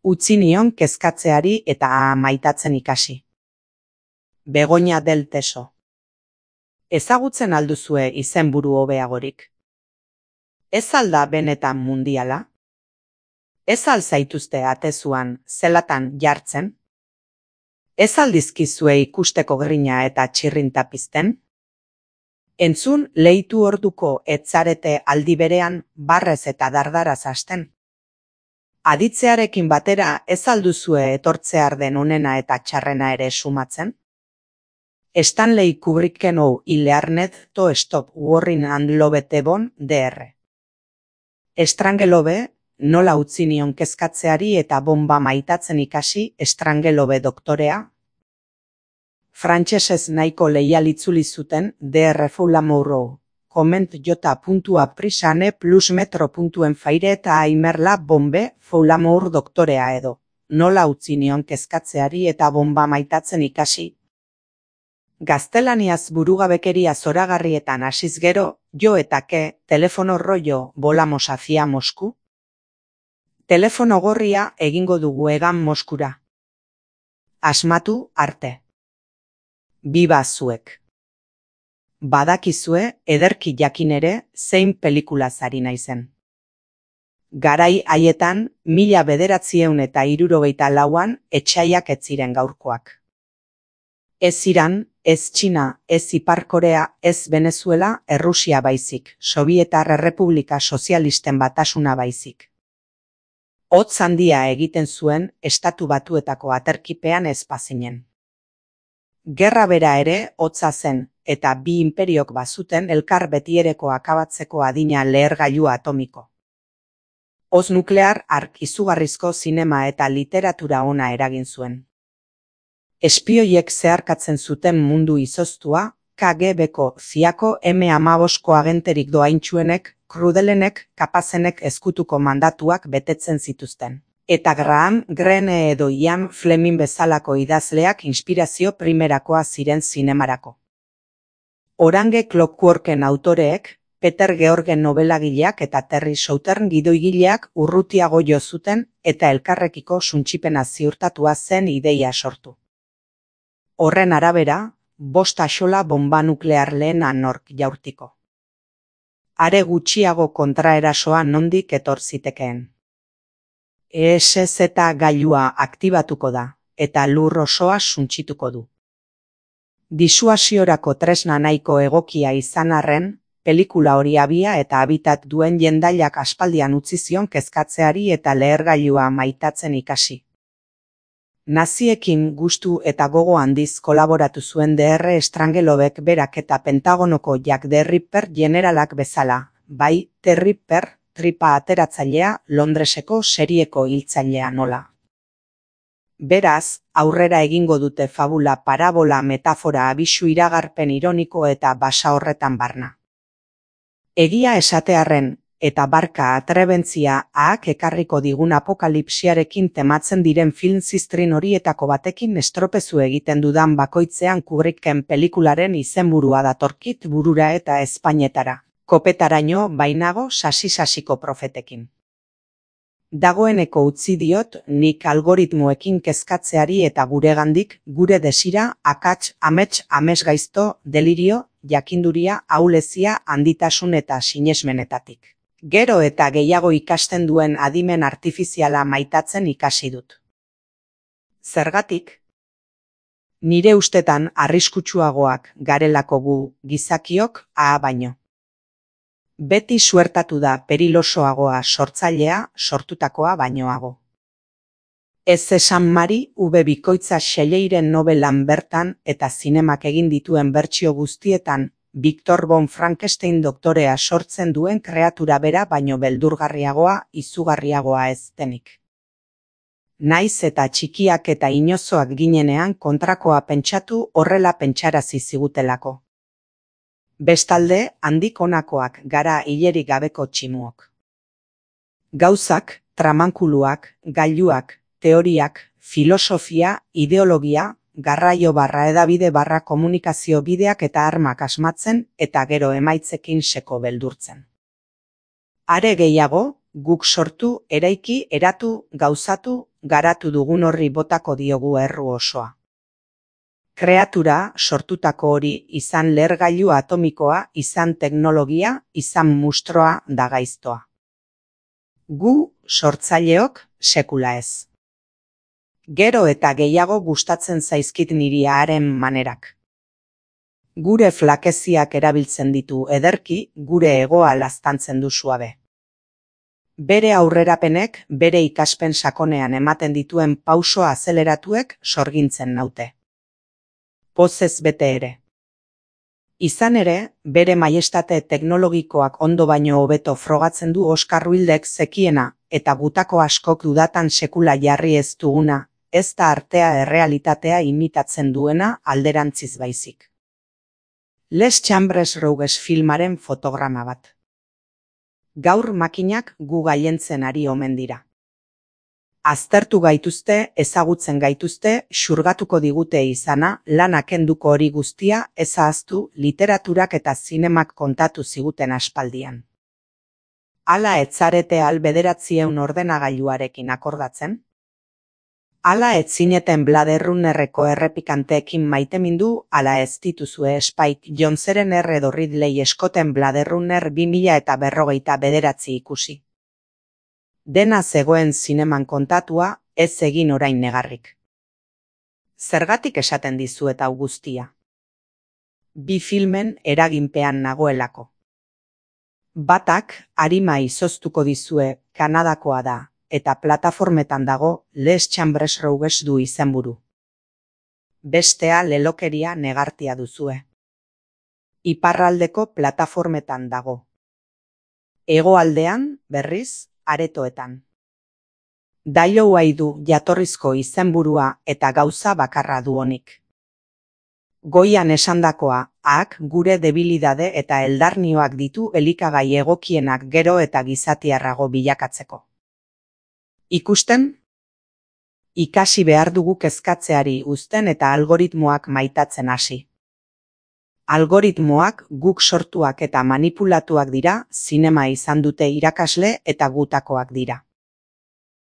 Utzi nion kezkatzeari eta maitatzen ikasi. Begoña del Teso. Ezagutzen alduzue izenburu hobeagorik? Ez alda benetan mundiala? Ez zaituzte atezuan zelatan jartzen? Ez aldizkizue ikusteko grina eta txirrinta pizten? Entzun leitu orduko etzarete aldi berean barrez eta dardaraz hasten? Aditzearekin batera ez alduzue etortzear den onena eta txarrena ere sumatzen? Stanley Kubricken Ilearnet to stop worrying and love tebon dr. Estrangelobe, nola utzi nion kezkatzeari eta bomba maitatzen ikasi Estrangelobe doktorea? Frantsesez nahiko leial itzuli zuten dr. Foulamourou, comment j.aprisane plus metro.en faire eta aimerla bombe Foulamour doktorea edo, nola utzi nion kezkatzeari eta bomba maitatzen ikasi? Gaztelaniaz burugabekeria zoragarrietan hasiz gero, jo eta ke, telefono rollo volamos hacia Mosku? Telefono gorria egingo dugu egan Moskura. Asmatu arte. Biba zuek. Badakizue ederki jakin ere zein pelikulaz ari naizen. Garai haietan 1964an etsaiak ez ziren gaurkoak. Ez Iran, ez Txina, ez Ipar Korea, ez Venezuela, Errusia baizik, Sobietar Errepublika Sozialisten Batasuna baizik. Hotz handia egiten zuen Estatu Batuetako aterkipean ez bazinen. Gerra bera ere hotza zen, eta bi inperiok bazuten elkar betiereko akabatzeko adina lehergailu atomiko. Hoz nuklear hark izugarrizko zinema eta literatura ona eragin zuen. Espioiek zeharkatzen zuten mundu izoztua, KGB-ko, CIA-ko, M15ko agenterik doaintsuenek, krudelenek, kapazenek ezkutuko mandatuak betetzen zituzten. Eta Graham Greene edo Ian Fleming bezalako idazleak inspirazio primerakoa ziren zinemarako. Orange Clockworken autoreek, Peter Georgen nobelagileak eta Terry Southern gidoigileak urrutiago jo zuten eta elkarrekiko suntsipena ziurtatua zen ideia sortu. Horren arabera, 5 axola bomba nuklear lehena nork jaurtiko. Are gutxiago kontraerasoa nondik etor zitekeen. ESZ gailua aktibatuko da, eta lur osoa suntsituko du. Disuasiorako tresna nahiko egokia izan arren, pelikula hori abia eta habitat duen jendailak aspaldian utzi zion kezkatzeari eta lehergailua maitatzen ikasi. Naziekin gustu eta gogo handiz kolaboratu zuen dr. Strangelobek berak eta Pentagonoko Jack the Ripper generalak bezala, bai, The Ripper, tripa ateratzailea, Londreseko serieko hiltzailea nola. Beraz, aurrera egingo dute fabula parabola metafora abisu iragarpen ironiko eta basa horretan barna. Egia esatearren, eta barka atrebentzia ahak ekarriko digun apokalipsiarekin tematzen diren film ziztrin horietako batekin estropezu egiten dudan bakoitzean Kubricken pelikularen izenburua datorkit burura eta Espainetara, kopetaraino bainago sasi-sasiko profetekin. Dagoeneko utzi diot nik algoritmoekin kezkatzeari eta guregandik, gure desira, akats, amets, amesgaizto, delirio, jakinduria, ahulezia, handitasun eta sinesmenetatik. Gero eta gehiago ikasten duen adimen artifiziala maitatzen ikasi dut. Zergatik? Nire ustetan arriskutsuagoak garelako gu gizakiok baino. Beti suertatu da perilosoagoa sortzailea sortutakoa bainoago. Ez esan Mari bikoitza Shelleiren nobelan bertan eta zinemak egin dituen bertsio guztietan Victor von Frankenstein doktorea sortzen duen kreatura bera baino beldurgarriagoa, izugarriagoa ez denik. Naiz eta txikiak eta inozoak ginenean kontrakoa pentsatu horrela pentsarazi zigutelako. Bestalde, handik honakoak gara hilerik gabeko tximuok. Gauzak, tramankuluak, gailuak, teoriak, filosofia, ideologia, garraio barra edabide barra komunikazio bideak eta armak asmatzen eta gero emaitzekin seko beldurtzen. Are gehiago, Guk sortu, eraiki, eratu, gauzatu, garatu dugun horri botako diogu erru osoa. Kreatura, sortutako hori, izan lehergailu atomikoa, izan teknologia, izan mustroa da gaiztoa. Gu, sortzaileok, sekula ez. Gero eta gehiago gustatzen zaizkit niri haren manerak. Gure flakeziak erabiltzen ditu ederki, gure egoa laztantzen du suabe. Bere aurrerapenek, bere ikaspen sakonean ematen dituen pauso azeleratuek sorgintzen naute. Pozez bete ere. Izan ere, bere maiestate teknologikoak ondo baino hobeto frogatzen du Oskar Wildek zekiena, eta gutako askok dudatan sekula jarri ez duguna, ez da artea errealitatea imitatzen duena alderantziz baizik. Les Chambres Rouges filmaren fotograma bat. Gaur makinak gu gailentzen ari omen dira. Aztertu gaituzte, ezagutzen gaituzte, xurgatuko digute izana, lanak kenduko hori guztia, ez ahaztu, literaturak eta zinemak kontatu ziguten aspaldian. Hala ez zarete al 900 ordenagailuarekin akordatzen? Hala ez zineten Blade Runnerreko errepikanteekin maitemindu, hala ez dituzue Spike Jonzeren edo Ridley Scotten Blade Runner 2049 ikusi. Dena zegoen zineman kontatua, ez egin orain negarrik. Zergatik esaten dizuet hau guztia? Bi filmen eraginpean nagoelako. Batak, arima izoztuko dizue, Kanadakoa da, eta plataformetan dago, Les Chambres Rouges du izenburu. Bestea lelokeria negartia duzue. Iparraldeko plataformetan dago. Hegoaldean, berriz, aretoetan. Dailouai du jatorrizko izenburua eta gauza bakarra du honik. Goian esandakoa, ahak gure debilidade eta eldarnioak ditu elikagai egokienak gero eta gizatiarrago bilakatzeko. Ikusten? Ikasi behar dugu kezkatzeari uzten eta algoritmoak maitatzen hasi. Algoritmoak guk sortuak eta manipulatuak dira, zinema izan dute irakasle eta gutakoak dira.